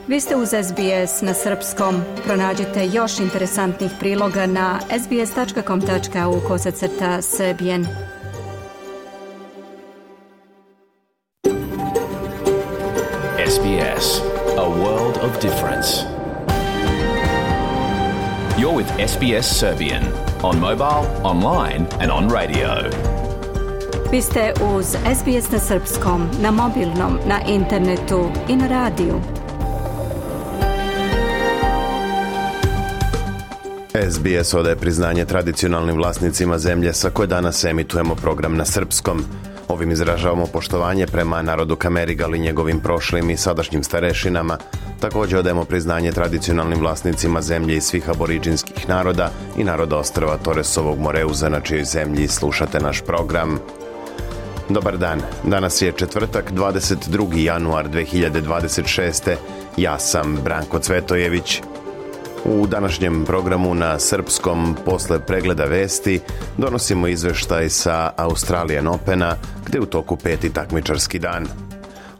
Vi ste uz SBS na srpskom. Pronađite još interesantnih priloga na sbs.com.au/serbian. SBS, a world of difference. You're with SBS Serbian on mobile, online and on radio. Vi ste uz SBS na srpskom, na mobilnom, na internetu i na radiju. SBS odaje priznanje tradicionalnim vlasnicima zemlje sa koje danas emitujemo program na srpskom. Ovim izražavamo poštovanje prema narodu Kamerigal i njegovim prošlim i sadašnjim starešinama. Također odajemo priznanje tradicionalnim vlasnicima zemlje i svih aboriđinskih naroda i naroda ostrva Toresovog Moreuza, na čijoj zemlji slušate naš program. Dobar dan, danas je četvrtak, 22. januar 2026. Ja sam Branko Cvetojević. U današnjem programu na srpskom, posle pregleda vesti, donosimo izveštaj sa Australian Opena, gde u toku 5. takmičarski dan.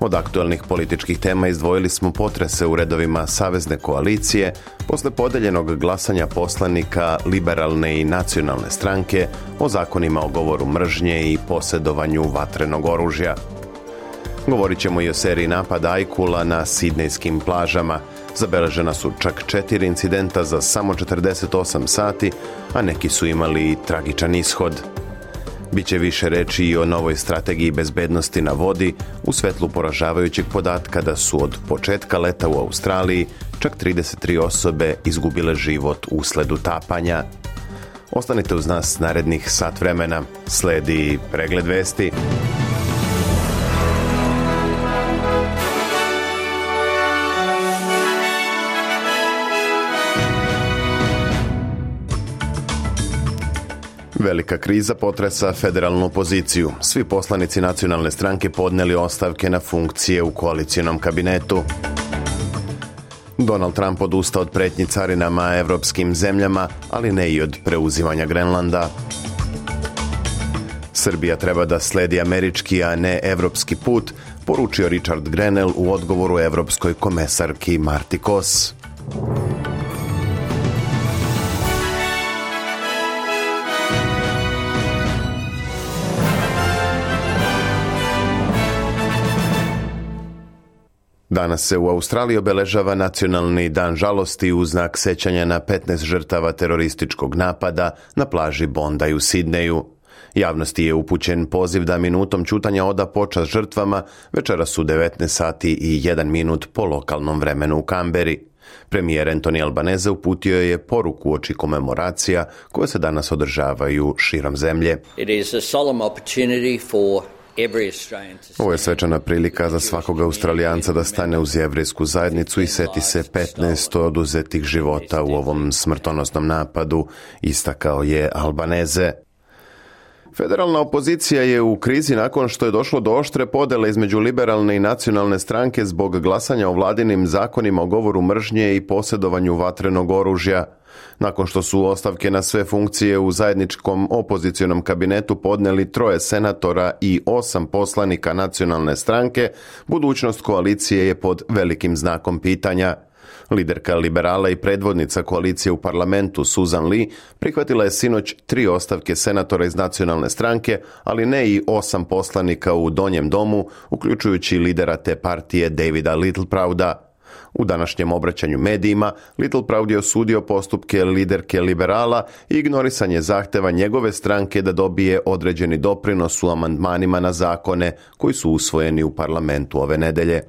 Od aktualnih političkih tema izdvojili smo potrese u redovima Savezne koalicije posle podeljenog glasanja poslanika Liberalne i nacionalne stranke o zakonima o govoru mržnje i posjedovanju vatrenog oružja. Govorit ćemo i o seriji napada ajkula na sidnejskim plažama. Zabeležena su čak 4 incidenta za samo 48 sati, a neki su imali i tragičan ishod. Biće više reči i o novoj strategiji bezbednosti na vodi u svetlu poražavajućeg podatka da su od početka leta u Australiji čak 33 osobe izgubile život usled utapanja. Ostanite uz nas narednih sat vremena. Sledi pregled vesti. Velika kriza potresa federalnu opoziciju. Svi poslanici nacionalne stranke podneli ostavke na funkcije u koalicionom kabinetu. Donald Trump odustao od pretnji carinama evropskim zemljama, ali ne i od preuzimanja Grenlanda. Srbija treba da sledi američki, a ne evropski put, poručio Richard Grenell u odgovoru evropskoj komesarki Marti Kos. Danas se u Australiji obeležava nacionalni dan žalosti u znak sećanja na 15 žrtava terorističkog napada na plaži Bondi u Sidneju. Javnosti je upućen poziv da minutom ćutanja oda počast žrtvama večeras u 19 sati i 1 minut po lokalnom vremenu u Kamberi. Premijer Anthony Albanese uputio je poruku uoči komemoracija koje se danas održavaju širom zemlje. It is a solemn opportunity for Ovo je svečana prilika za svakog Australijanca da stane uz jevrejsku zajednicu i seti se 15 oduzetih života u ovom smrtonosnom napadu, istakao je Albanese. Federalna opozicija je u krizi nakon što je došlo do oštre podele između liberalne i nacionalne stranke zbog glasanja o vladinim zakonima o govoru mržnje i posjedovanju vatrenog oružja. Nakon što su ostavke na sve funkcije u zajedničkom opozicionom kabinetu podneli 3 senatora i 8 poslanika nacionalne stranke, budućnost koalicije je pod velikim znakom pitanja. Liderka liberala i predvodnica koalicije u parlamentu Susan Lee prihvatila je sinoć 3 ostavke senatora iz nacionalne stranke, ali ne i 8 poslanika u donjem domu, uključujući lidera te partije Davida Littleprouda. U današnjem obraćanju medijima, Littleproud je osudio postupke liderke liberala i ignorisanje zahteva njegove stranke da dobije određeni doprinos u amandmanima na zakone koji su usvojeni u parlamentu ove nedelje.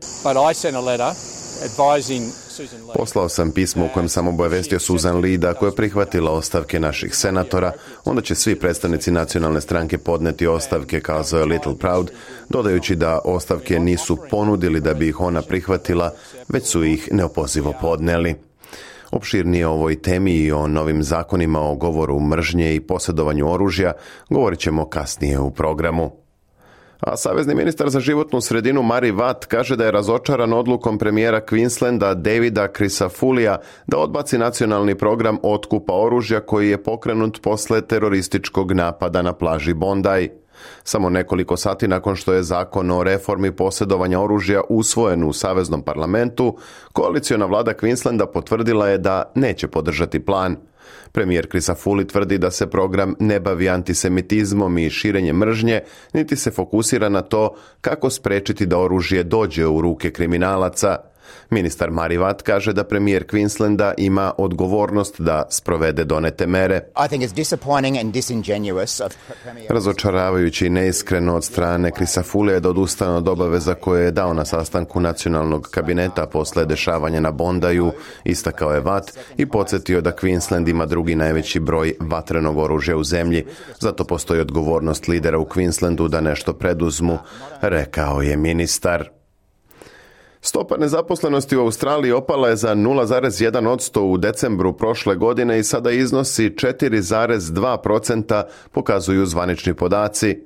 Poslao sam pismo u kojem sam obavestio Susan Lee da ako je prihvatila ostavke naših senatora, onda će svi predstavnici nacionalne stranke podneti ostavke, kazao je Littleproud, dodajući da ostavke nisu ponudili da bi ih ona prihvatila, već su ih neopozivo podneli. Opširnije o ovoj temi i o novim zakonima o govoru mržnje i posjedovanju oružja govorit ćemo kasnije u programu. A savezni ministar za životnu sredinu Murray Watt kaže da je razočaran odlukom premijera Queenslanda Davida Crisafullia da odbaci nacionalni program otkupa oružja koji je pokrenut posle terorističkog napada na plaži Bondi. Samo nekoliko sati nakon što je zakon o reformi posjedovanja oružja usvojen u Saveznom parlamentu, koaliciona vlada Queenslanda potvrdila je da neće podržati plan. Premijer Crisafulli tvrdi da se program ne bavi antisemitizmom i širenjem mržnje, niti se fokusira na to kako spriječiti da oružje dođe u ruke kriminalaca. Ministar Mari Watt kaže da premijer Queenslanda ima odgovornost da sprovede donete mere. Razočaravajući i neiskreno od strane Crisafullija da odustane od obaveza koje je dao na sastanku nacionalnog kabineta posle dešavanja na Bondaju, istakao je Watt i podsjetio da Queensland ima drugi najveći broj vatrenog oružja u zemlji. Zato postoji odgovornost lidera u Queenslandu da nešto preduzmu, rekao je ministar. Stopa nezaposlenosti u Australiji opala je za 0,1% u decembru prošle godine i sada iznosi 4,2%, pokazuju zvanični podaci.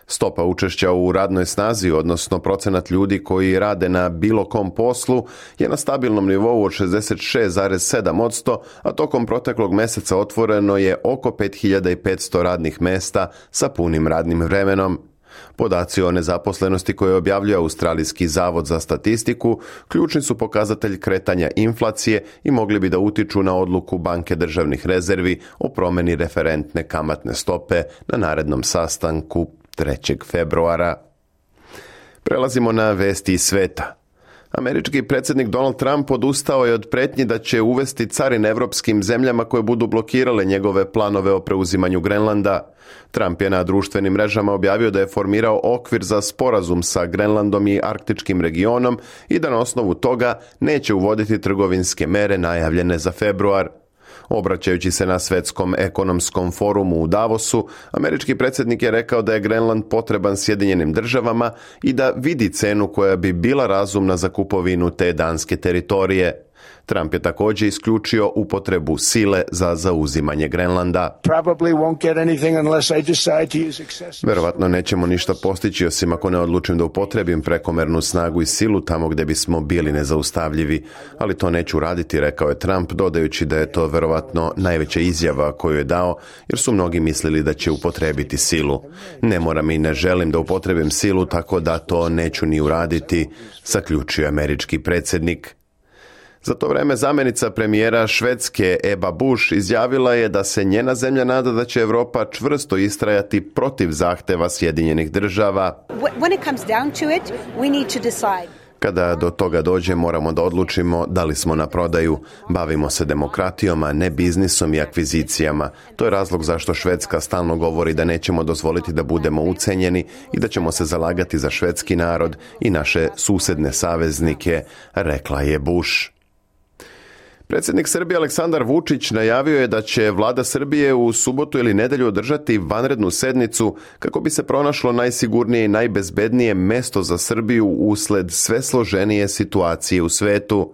Stopa učešća u radnoj snazi, odnosno procenat ljudi koji rade na bilo kom poslu, je na stabilnom nivou od 66,7%, a tokom proteklog meseca otvoreno je oko 5500 radnih mesta sa punim radnim vremenom. Podaci o nezaposlenosti koje objavljuje Australijski zavod za statistiku ključni su pokazatelj kretanja inflacije i mogli bi da utiču na odluku Banke državnih rezervi o promjeni referentne kamatne stope na narednom sastanku 3. februara. Prelazimo na vesti iz sveta. Američki predsjednik Donald Trump odustao je od prijetnji da će uvesti carine evropskim zemljama koje budu blokirale njegove planove o preuzimanju Grenlanda. Trump je na društvenim mrežama objavio da je formirao okvir za sporazum sa Grenlandom i arktičkim regionom i da na osnovu toga neće uvoditi trgovinske mere najavljene za februar. Obraćajući se na Svjetskom ekonomskom forumu u Davosu, američki predsjednik je rekao da je Grenland potreban Sjedinjenim državama i da vidi cenu koja bi bila razumna za kupovinu te danske teritorije. Trump je također isključio upotrebu sile za zauzimanje Grenlanda. Verovatno nećemo ništa postići osim ako ne odlučim da upotrebim prekomernu snagu i silu tamo gdje bismo bili nezaustavljivi, ali to neću raditi, rekao je Trump, dodajući da je to verovatno najveća izjava koju je dao, jer su mnogi mislili da će upotrebiti silu. Ne moram i ne želim da upotrebim silu, tako da to neću ni uraditi, zaključio američki predsjednik. Za to vreme zamjenica premijera Švedske Ebba Busch izjavila je da se njena zemlja nada da će Europa čvrsto istrajati protiv zahteva Sjedinjenih država. Kada do toga dođe, moramo da odlučimo da li smo na prodaju. Bavimo se demokratijom, a ne biznisom i akvizicijama. To je razlog zašto Švedska stalno govori da nećemo dozvoliti da budemo ucenjeni i da ćemo se zalagati za švedski narod i naše susedne saveznike, rekla je Bush. Predsjednik Srbije Aleksandar Vučić najavio je da će vlada Srbije u subotu ili nedjelju održati vanrednu sednicu kako bi se pronašlo najsigurnije i najbezbednije mesto za Srbiju usled sve složenije situacije u svetu.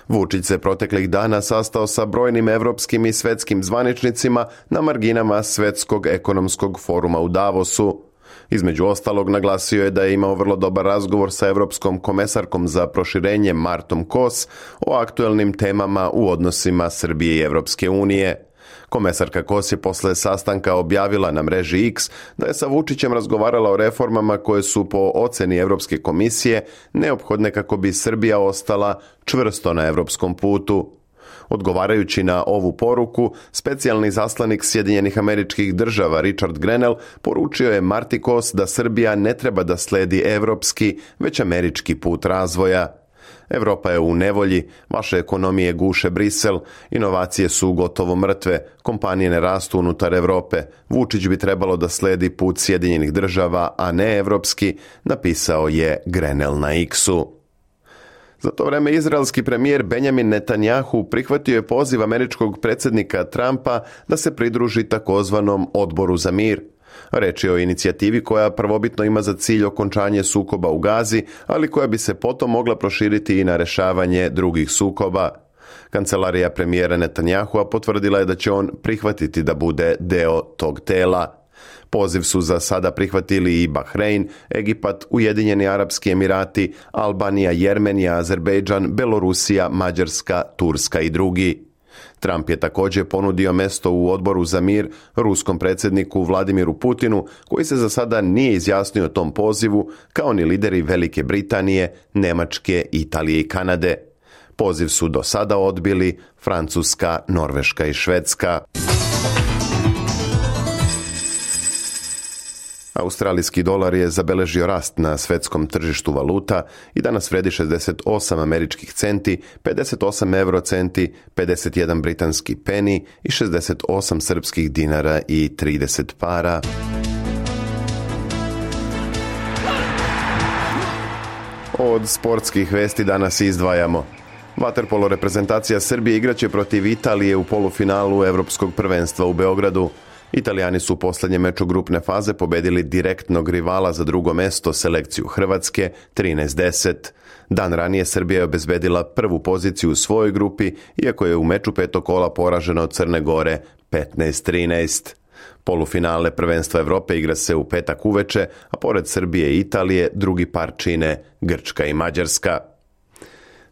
Vučić se proteklih dana sastao sa brojnim evropskim i svetskim zvaničnicima na marginama Svetskog ekonomskog foruma u Davosu. Između ostalog, naglasio je da je imao vrlo dobar razgovor sa Evropskom komesarkom za proširenje Martom Kos o aktuelnim temama u odnosima Srbije i Evropske unije. Komesarka Kos je posle sastanka objavila na mreži X da je sa Vučićem razgovarala o reformama koje su po oceni Evropske komisije neophodne kako bi Srbija ostala čvrsto na evropskom putu. Odgovarajući na ovu poruku, specijalni zaslanik Sjedinjenih Američkih Država Richard Grenell poručio je Marti Kos da Srbija ne treba da sledi evropski, već američki put razvoja. Evropa je u nevolji, vaše ekonomije guše Brisel, inovacije su gotovo mrtve, kompanije ne rastu unutar Evrope, Vučić bi trebalo da sledi put Sjedinjenih Država, a ne evropski, napisao je Grenell na X-u. Za to vreme izraelski premijer Benjamin Netanjahu prihvatio je poziv američkog predsjednika Trumpa da se pridruži takozvanom odboru za mir. Reč je o inicijativi koja prvobitno ima za cilj okončanje sukoba u Gazi, ali koja bi se potom mogla proširiti i na rešavanje drugih sukoba. Kancelarija premijera Netanjahua potvrdila je da će on prihvatiti da bude deo tog tela. Poziv su za sada prihvatili i Bahrein, Egipat, Ujedinjeni Arapski Emirati, Albanija, Jermenija, Azerbejdžan, Belorusija, Mađarska, Turska i drugi. Trump je također ponudio mesto u odboru za mir ruskom predsjedniku Vladimiru Putinu, koji se za sada nije izjasnio o tom pozivu, kao ni lideri Velike Britanije, Njemačke, Italije i Kanade. Poziv su do sada odbili Francuska, Norveška i Švedska. Australijski dolar je zabeležio rast na svjetskom tržištu valuta i danas vredi 68 američkih centi, 58 eurocenti, 51 britanski peni i 68 srpskih dinara i 30 para. Od sportskih vesti danas izdvajamo. Vaterpolo reprezentacija Srbije igraće protiv Italije u polufinalu Evropskog prvenstva u Beogradu. Italijani su u posljednjem meču grupne faze pobedili direktnog rivala za drugo mesto, selekciju Hrvatske, 13-10. Dan ranije Srbija je obezbedila prvu poziciju u svojoj grupi, iako je u meču petog kola poražena od Crne Gore 15-13. Polufinale prvenstva Evrope igra se u petak uveče, a pored Srbije i Italije drugi par čine Grčka i Mađarska.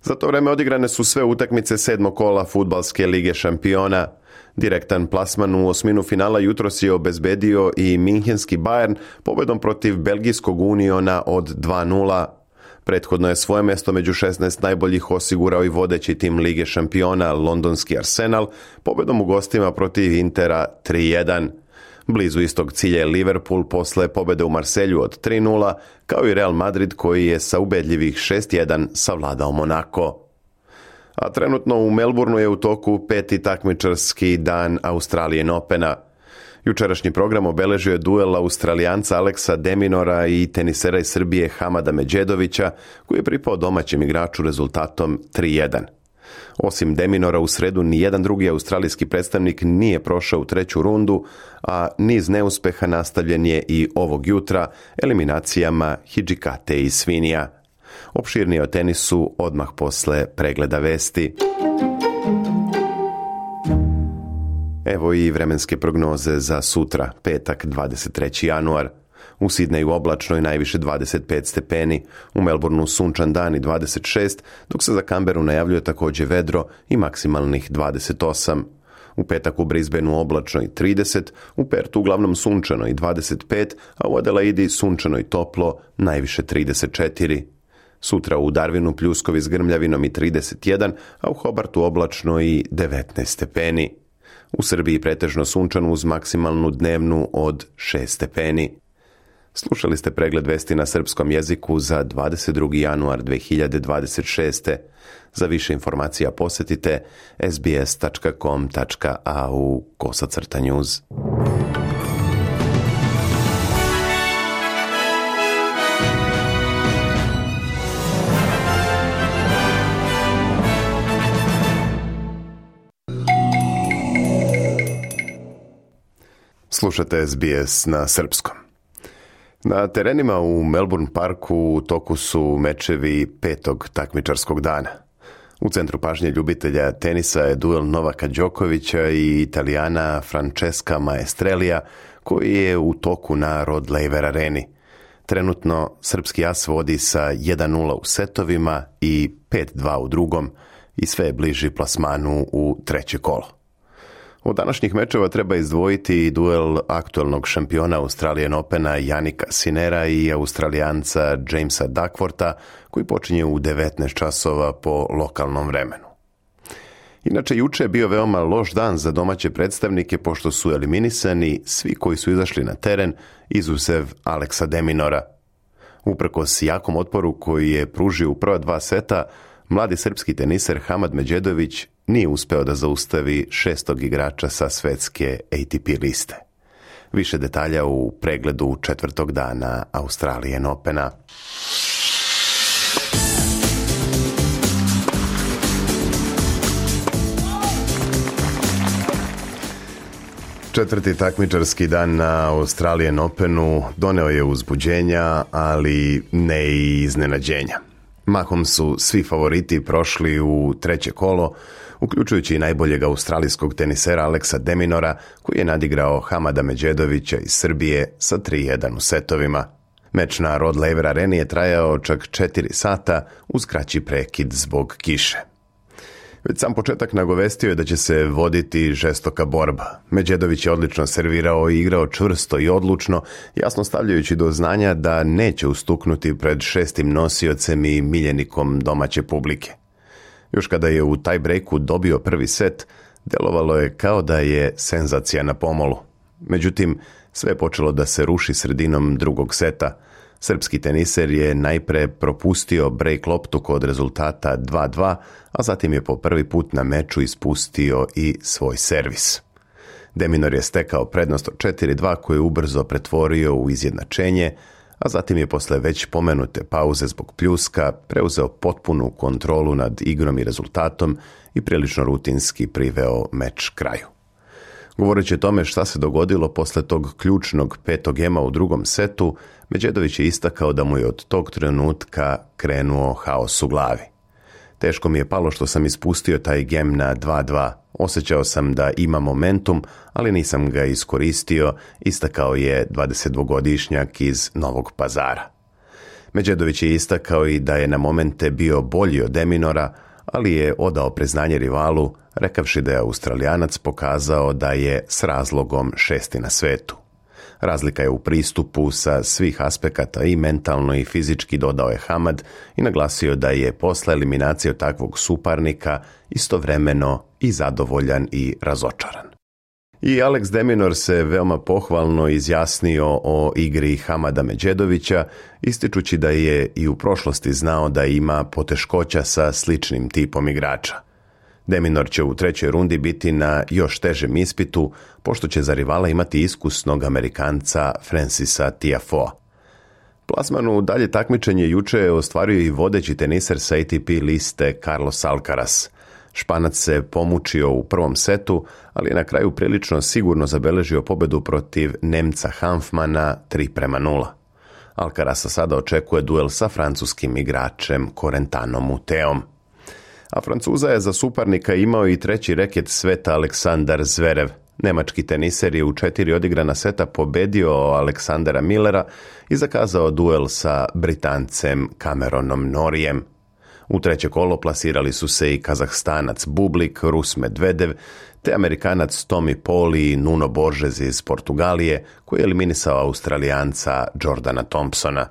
Za to vreme odigrane su sve utakmice sedmog kola Fudbalske lige šampiona. Direktan plasman u osminu finala jutros je obezbedio i minhenski Bayern pobedom protiv belgijskog Uniona od 2-0. Prethodno je svoje mesto među 16 najboljih osigurao i vodeći tim Lige šampiona londonski Arsenal pobedom u gostima protiv Intera 3-1. Blizu istog cilja je Liverpool posle pobede u Marselju od 3-0, kao i Real Madrid koji je sa ubedljivih 6-1 savladao Monako. A trenutno u Melbourneu je u toku peti takmičarski dan Australian Opena. Jučerašnji program obeležio je duel Australijanca Alexa de Minaura i tenisera iz Srbije Hamada Medjedovića, koji je pripao domaćem igraču rezultatom 3-1. Osim de Minaura u sredu, nijedan drugi australijski predstavnik nije prošao u treću rundu, a niz neuspeha nastavljen je i ovog jutra eliminacijama Hidžikate i Svinija. Opširnije o tenisu odmah posle pregleda vesti. Evo i vremenske prognoze za sutra, petak 23. januar. U Sidneju oblačno i najviše 25 stepeni, u Melbourneu sunčan dan i 26, dok se za Canberu najavljuje također vedro i maksimalnih 28. U petak u Brisbaneu oblačno i 30, u Pertu uglavnom sunčano i 25, a u Adelaidi sunčano i toplo, najviše 34. Sutra u Darwinu pljuskovi s grmljavinom i 31, a u Hobartu oblačno i 19 stepeni. U Srbiji pretežno sunčano uz maksimalnu dnevnu od 6 stepeni. Slušali ste pregled vesti na srpskom jeziku za 22. januar 2026. Za više informacija posjetite sbs.com.au/news. Slušate SBS na srpskom. Na terenima u Melbourne Parku u toku su mečevi petog takmičarskog dana. U centru pažnje ljubitelja tenisa je duel Novaka Đokovića i Italijana Francesca Maestrelija, koji je u toku na Rod Laver areni. Trenutno srpski as vodi sa 1-0 u setovima i 5-2 u drugom i sve je bliži plasmanu u treće kolo. Od današnjih mečeva treba izdvojiti duel aktualnog šampiona Australian Opena Jannika Sinnera i Australijanca Jamesa Duckwortha, koji počinje u 19 časova po lokalnom vremenu. Inače, juče je bio veoma loš dan za domaće predstavnike, pošto su eliminisani svi koji su izašli na teren, izuzev Alexa de Minaura. Uprkos jakom otporu koji je pružio u prva dva seta, mladi srpski teniser Hamad Medjedović nije uspeo da zaustavi šestog igrača sa svetske ATP liste. Više detalja u pregledu četvrtog dana Australian Opena. Četvrti takmičarski dan na Australian Openu doneo je uzbuđenja, ali ne i iznenađenja. Mahom su svi favoriti prošli u treće kolo, uključujući i najboljeg australijskog tenisera Alexa de Minaura, koji je nadigrao Hamada Medjedovića iz Srbije sa 3-1 u setovima. Meč na Rod Laver areni je trajao čak 4 sata uz kraći prekid zbog kiše. Već sam početak nagovestio je da će se voditi žestoka borba. Medjedović je odlično servirao i igrao čvrsto i odlučno, jasno stavljajući do znanja da neće ustuknuti pred šestim nosiocem i miljenikom domaće publike. Još kada je u taj breaku dobio prvi set, delovalo je kao da je senzacija na pomolu. Međutim, sve je počelo da se ruši sredinom drugog seta. Srpski teniser je najpre propustio break loptu kod rezultata 2-2, a zatim je po prvi put na meču ispustio i svoj servis. De Minaur je stekao prednost od 4-2 koju je ubrzo pretvorio u izjednačenje, a zatim je posle već pomenute pauze zbog pljuska preuzeo potpunu kontrolu nad igrom i rezultatom i prilično rutinski priveo meč kraju. Govoreći o tome šta se dogodilo posle tog ključnog 5. gema u drugom setu, Medjedović je istakao da mu je od tog trenutka krenuo haos u glavi. Teško mi je palo što sam ispustio taj gem na 2-2. Osjećao sam da ima momentum, ali nisam ga iskoristio, istakao je 22-godišnjak iz Novog Pazara. Medjedović je istakao i da je na momente bio bolji od De Minaura, ali je odao priznanje rivalu, rekavši da je Australijanac pokazao da je s razlogom šesti na svetu. Razlika je u pristupu sa svih aspekata i mentalno i fizički, dodao je Hamad i naglasio da je posle eliminacije od takvog suparnika istovremeno i zadovoljan i razočaran. I Alex De Minaur se veoma pohvalno izjasnio o igri Hamada Medjedovića, ističući da je i u prošlosti znao da ima poteškoća sa sličnim tipom igrača. De Minaur će u trećoj rundi biti na još težem ispitu, pošto će za rivala imati iskusnog Amerikanca Francisa Tiafoea. Plasman u dalje takmičenje juče je ostvario i vodeći teniser sa ATP liste Carlos Alcaraz. Španac se pomučio u prvom setu, ali je na kraju prilično sigurno zabeležio pobedu protiv Nemca Hanfmana 3-0. Alcarasa sada očekuje duel sa francuskim igračem Corentanom Muteom. A Francuza je za suparnika imao i treći reket sveta Aleksandar Zverev. Nemački teniser je u 4 odigrana seta pobedio Aleksandra Millera i zakazao duel sa Britancem Cameronom Norijem. U treće kolo plasirali su se i Kazahstanac Bublik, Rus Medvedev, te Amerikanac Tommy Paul i Nuno Borges iz Portugalije, koji je eliminisao Australijanca Jordana Thompsona.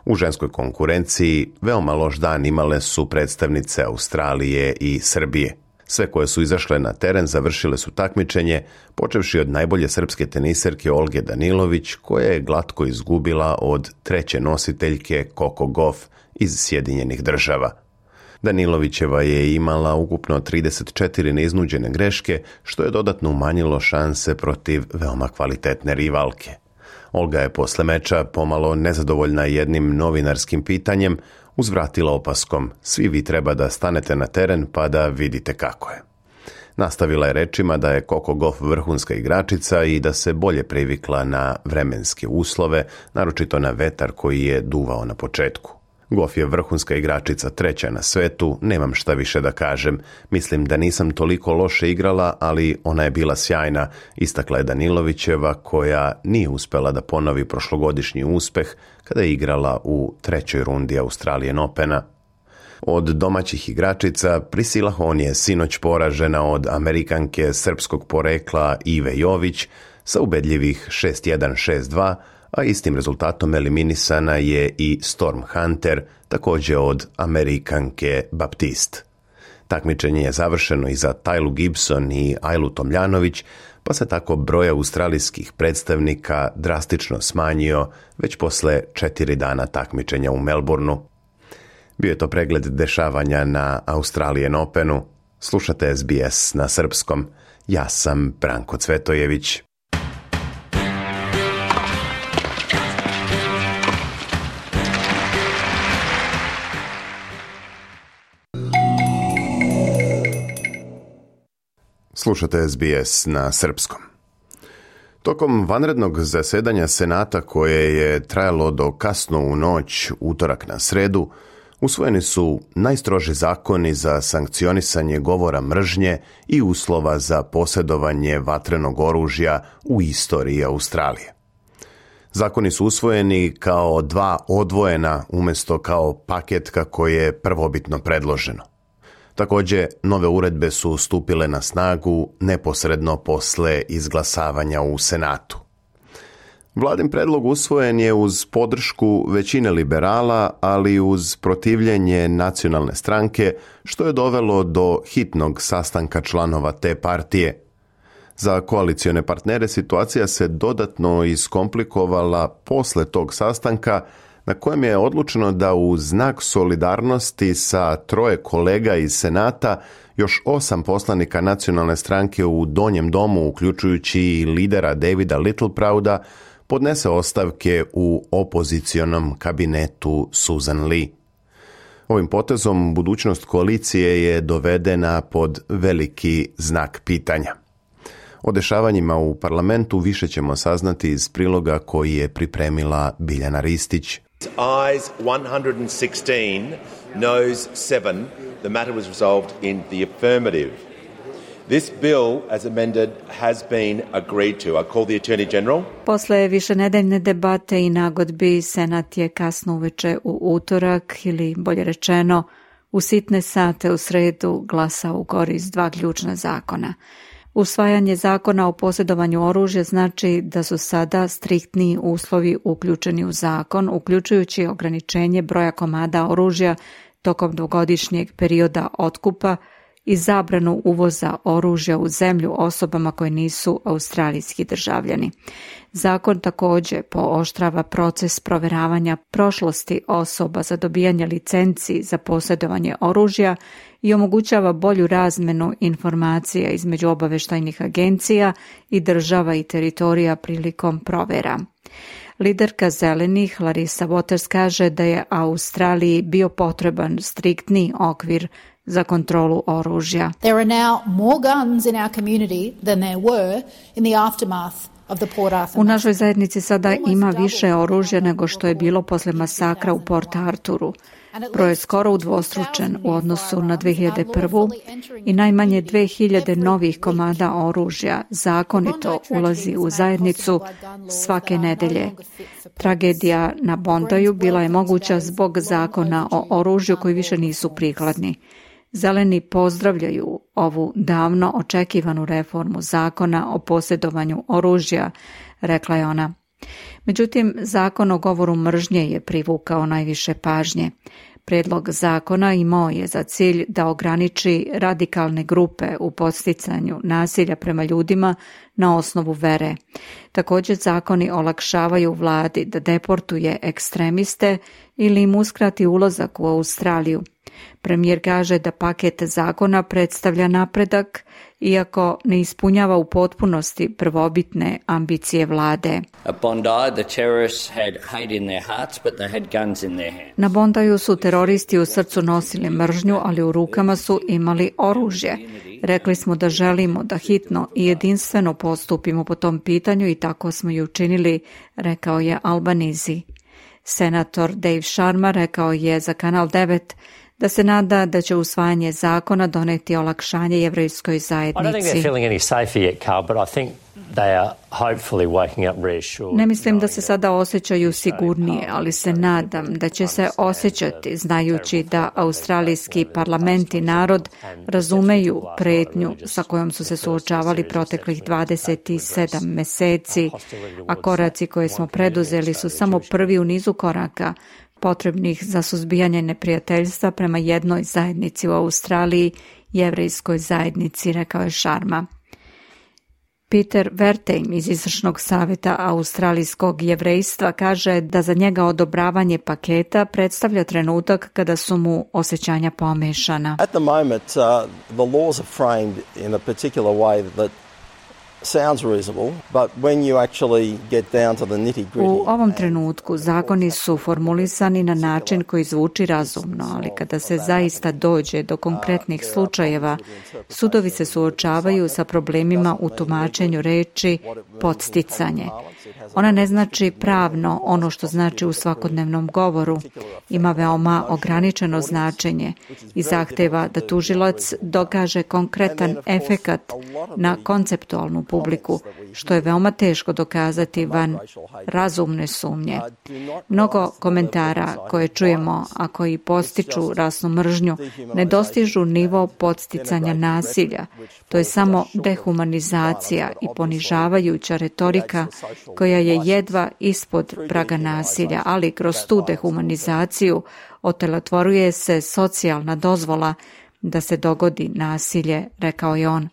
U ženskoj konkurenciji veoma loš dan imale su predstavnice Australije i Srbije. Sve koje su izašle na teren završile su takmičenje, počevši od najbolje srpske teniserke Olge Danilović, koja je glatko izgubila od treće nositeljke Coco Gauff iz Sjedinjenih Država. Danilovićeva je imala ukupno 34 neiznuđene greške, što je dodatno umanjilo šanse protiv veoma kvalitetne rivalke. Olga je posle meča, pomalo nezadovoljna jednim novinarskim pitanjem, uzvratila opaskom: svi vi treba da stanete na teren pa da vidite kako je. Nastavila je rečima da je Coco Gauff vrhunska igračica i da se bolje privikla na vremenske uslove, naročito na vetar koji je duvao na početku. Gauff je vrhunska igračica, treća na svetu, nemam šta više da kažem. Mislim da nisam toliko loše igrala, ali ona je bila sjajna, istakla je Danilovićeva, koja nije uspela da ponovi prošlogodišnji uspeh kada je igrala u trećoj rundi Australian Opena. Od domaćih igračica Priscilla Hon je sinoć poražena od Amerikanke srpskog porekla Ive Jović sa ubedljivih 6-1-6-2, a istim rezultatom eliminisana je i Storm Hunter, također od Amerikanke Baptiste. Takmičenje je završeno i za Tajlu Gibson i Ajlu Tomljanović, pa se tako broj australijskih predstavnika drastično smanjio već posle 4 dana takmičenja u Melbourneu. Bio je to pregled dešavanja na Australian Openu. Slušate SBS na srpskom. Ja sam Branko Cvetojević. Slušate SBS na srpskom. Tokom vanrednog zasedanja Senata, koje je trajalo do kasno u noć utorak na sredu, usvojeni su najstroži zakoni za sankcionisanje govora mržnje i uslova za posjedovanje vatrenog oružja u istoriji Australije. Zakoni su usvojeni kao 2 odvojena umjesto kao paket kako je prvobitno predloženo. Također, nove uredbe su stupile na snagu neposredno posle izglasavanja u Senatu. Vladin predlog usvojen je uz podršku većine liberala, ali uz protivljenje nacionalne stranke, što je dovelo do hitnog sastanka članova te partije. Za koalicione partnere situacija se dodatno iskomplikovala posle tog sastanka, na kojem je odlučeno da u znak solidarnosti sa 3 kolega iz Senata još 8 poslanika nacionalne stranke u Donjem domu, uključujući i lidera Davida Littleprouda, podnese ostavke u opozicionom kabinetu Susan Lee. Ovim potezom budućnost koalicije je dovedena pod veliki znak pitanja. O dešavanjima u parlamentu više ćemo saznati iz priloga koji je pripremila Biljana Ristić. Ayes 116, noes 7. The matter was resolved in the affirmative. This bill, as amended, has been agreed to. I call the Attorney General. Posle višenedeljne debate i nagodbi, Senat je kasno uveče u utorak, ili bolje rečeno, u sitne sate u sredu glasao u korist 2 ključna zakona. Usvajanje zakona o posjedovanju oružja znači da su sada striktniji uslovi uključeni u zakon, uključujući ograničenje broja komada oružja tokom 2-godišnjeg perioda otkupa i zabranu uvoza oružja u zemlju osobama koje nisu australijski državljani. Zakon također pooštrava proces proveravanja prošlosti osoba za dobijanje licenci za posjedovanje oružja i omogućava bolju razmenu informacija između obavještajnih agencija i država i teritorija prilikom provera. Liderka Zelenih Larissa Waters kaže da je Australiji bio potreban striktni okvir za kontrolu oružja. There are now more guns in our community than there were in the aftermath. U našoj zajednici sada ima više oružja nego što je bilo posle masakra u Port Arturu. Broj je skoro udvostručen u odnosu na 2001. i najmanje 2000 novih komada oružja zakonito ulazi u zajednicu svake nedelje. Tragedija na Bondaju bila je moguća zbog zakona o oružju koji više nisu prikladni. Zeleni pozdravljaju ovu davno očekivanu reformu zakona o posjedovanju oružja, rekla je ona. Međutim, zakon o govoru mržnje je privukao najviše pažnje. Prijedlog zakona imao je za cilj da ograniči radikalne grupe u podsticanju nasilja prema ljudima na osnovu vere. Također zakoni olakšavaju vladi da deportuje ekstremiste ili im uskrati ulazak u Australiju. Premijer kaže da paket zakona predstavlja napredak, iako ne ispunjava u potpunosti prvobitne ambicije vlade. Na Bondaju su teroristi u srcu nosili mržnju, ali u rukama su imali oružje. Rekli smo da želimo da hitno i jedinstveno postupimo po tom pitanju i tako smo i učinili, rekao je Albanese. Senator Dave Sharma rekao je za Kanal 9 da se nada da će usvajanje zakona doneti olakšanje jevrejskoj zajednici. Ne mislim da se sada osjećaju sigurnije, ali se nadam da će se osjećati znajući da australijski parlament i narod razumeju pretnju sa kojom su se suočavali proteklih 27 meseci, a koraci koje smo preduzeli su samo prvi u nizu koraka potrebnih za suzbijanje neprijateljstva prema jednoj zajednici u Australiji, jevrejskoj zajednici, rekao je Sharma. Peter Wertheim iz Izvršnog savjeta australijskog jevrejstva kaže da za njega odobravanje paketa predstavlja trenutak kada su mu osjećanja pomešana. At the moment, the laws are framed in a particular way that sounds reasonable, but when you actually get down to the nitty-gritty. U ovom trenutku zakoni su formulisani na način koji zvuči razumno, ali kada se zaista dođe do konkretnih slučajeva, sudovi se suočavaju sa problemima u tumačenju reči podsticanje. Ona ne znači pravno ono što znači u svakodnevnom govoru, ima veoma ograničeno značenje i zahteva da tužilac dokaže konkretan efekat na konceptualnu publiku, što je veoma teško dokazati van razumne sumnje. Mnogo komentara koje čujemo, a koji postiču rasnu mržnju, ne dostižu nivo podsticanja nasilja. To je samo dehumanizacija i ponižavajuća retorika koja je jedva ispod praga nasilja, ali kroz tu dehumanizaciju otelotvoruje se socijalna dozvola da se dogodi nasilje, rekao je on.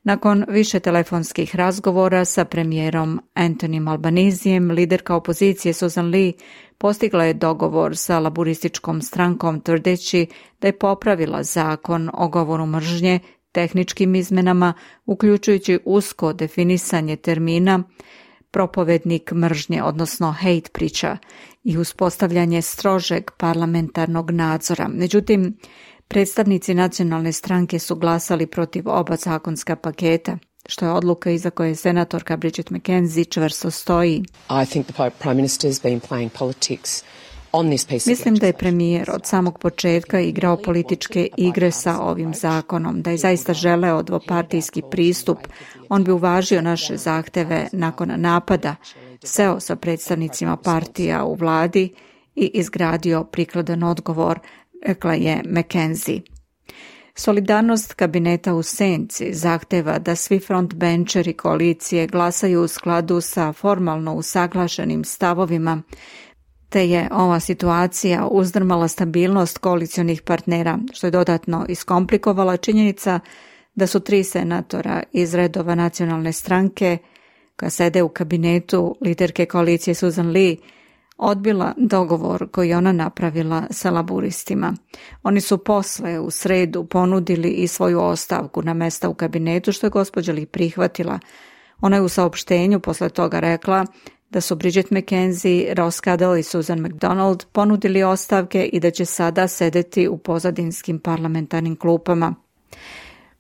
Nakon više telefonskih razgovora sa premijerom Anthonyjem Albanezijem, liderka opozicije Susan Lee postigla je dogovor sa laburističkom strankom tvrdeći da je popravila zakon o govoru mržnje tehničkim izmenama, uključujući usko definisanje termina propovednik mržnje, odnosno hate preacher, i uspostavljanje strožeg parlamentarnog nadzora. Međutim, predstavnici nacionalne stranke su glasali protiv oba zakonska paketa, što je odluka iza koje senatorka Bridget McKenzie čvrsto stoji. I think the Prime Minister has been playing politics. Mislim da je premijer od samog početka igrao političke igre sa ovim zakonom, da je zaista želeo dvopartijski pristup. On bi uvažio naše zahteve nakon napada, seo sa predstavnicima partija u vladi i izgradio prikladan odgovor, rekla je McKenzie. Solidarnost kabineta u senci zahteva da svi frontbencheri koalicije glasaju u skladu sa formalno usaglašenim stavovima, te je ova situacija uzdrmala stabilnost koalicionih partnera, što je dodatno iskomplikovala činjenica da su 3 senatora iz redova nacionalne stranke, koja sede u kabinetu liderke koalicije Susan Lee, odbila dogovor koji ona napravila sa laburistima. Oni su posle u sredu ponudili i svoju ostavku na mesta u kabinetu, što je gospođa Lee prihvatila. Ona je u saopštenju posle toga rekla da su Bridget McKenzie, Ross Cadell i Susan McDonald ponudili ostavke i da će sada sedeti u pozadinskim parlamentarnim klupama.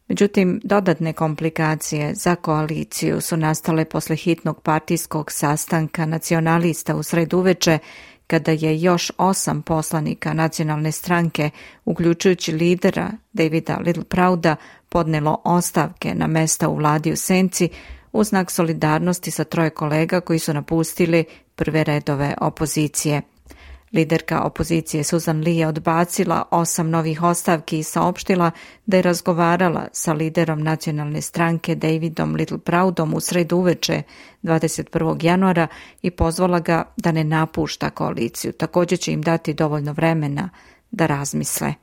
Međutim, dodatne komplikacije za koaliciju su nastale posle hitnog partijskog sastanka nacionalista u sredu uveče, kada je još 8 poslanika nacionalne stranke, uključujući lidera Davida Littleprouda, podnelo ostavke na mesta u vladi u senci u znak solidarnosti sa 3 kolega koji su napustili prve redove opozicije. Liderka opozicije Susan Lee je odbacila 8 novih ostavki i saopštila da je razgovarala sa liderom nacionalne stranke Davidom Littleproudom u sredu uveče 21. januara i pozvala ga da ne napušta koaliciju. Također će im dati dovoljno vremena da razmisle.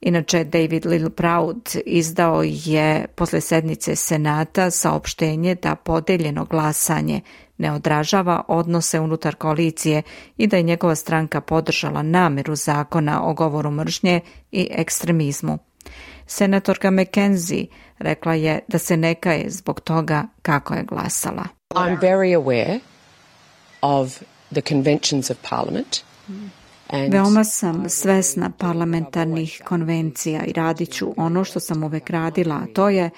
Inače, David Littleproud izdao je posle sednice Senata saopštenje da podeljeno glasanje ne odražava odnose unutar koalicije i da je njegova stranka podržala nameru zakona o govoru mržnje i ekstremizmu. Senatorka McKenzie rekla je da se ne kaje zbog toga kako je glasala. I'm very aware of the conventions of Parliament. Veoma sam svesna parlamentarnih konvencija i radit ću ono što sam uvek radila, a to je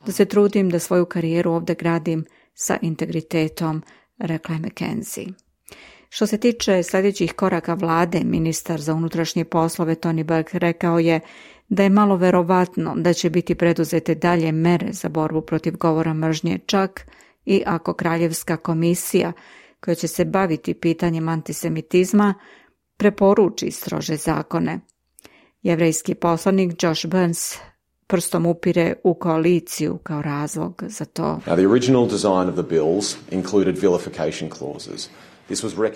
da se trudim da svoju karijeru ovdje gradim sa integritetom, rekla je McKenzie. Što se tiče sljedećih koraka vlade, ministar za unutrašnje poslove Tony Burke rekao je da je malo verovatno da će biti preduzete dalje mere za borbu protiv govora mržnje, čak i ako Kraljevska komisija, koja će se baviti pitanjem antisemitizma, preporuči strože zakone. Jevrejski poslanik Josh Burns prstom upire u koaliciju kao razlog za to. Now, the original design of the bills included vilification clauses.